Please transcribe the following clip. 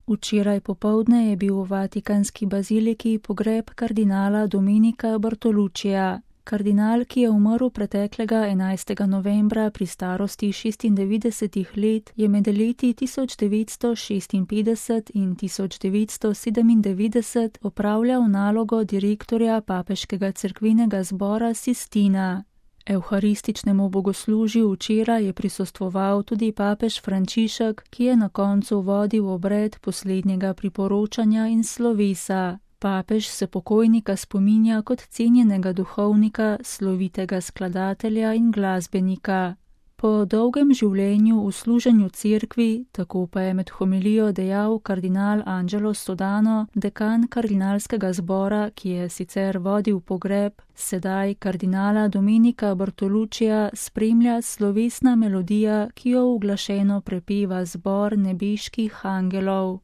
Včeraj popoldne je bil v vatikanski baziliki pogreb kardinala Dominika Bartoluccija. Kardinal, ki je umrl preteklega 11. novembra pri starosti 96 let, je med leti 1956 in 1997 opravljal nalogo direktorja papeškega cerkvenega zbora Sistina. Evharističnemu bogoslužju včeraj je prisostvoval tudi papež Frančišek, ki je na koncu vodil obred poslednjega priporočanja in slovesa. Papež se pokojnika spominja kot cenjenega duhovnika, slovitega skladatelja in glasbenika. Po dolgem življenju v služenju cerkvi, tako pa je med homilijo dejal kardinal Angelo Sodano, dekan kardinalskega zbora, ki je sicer vodil pogreb, sedaj kardinala Dominika Bartoluccija spremlja slovesna melodija, ki jo uglašeno prepeva zbor nebeških angelov.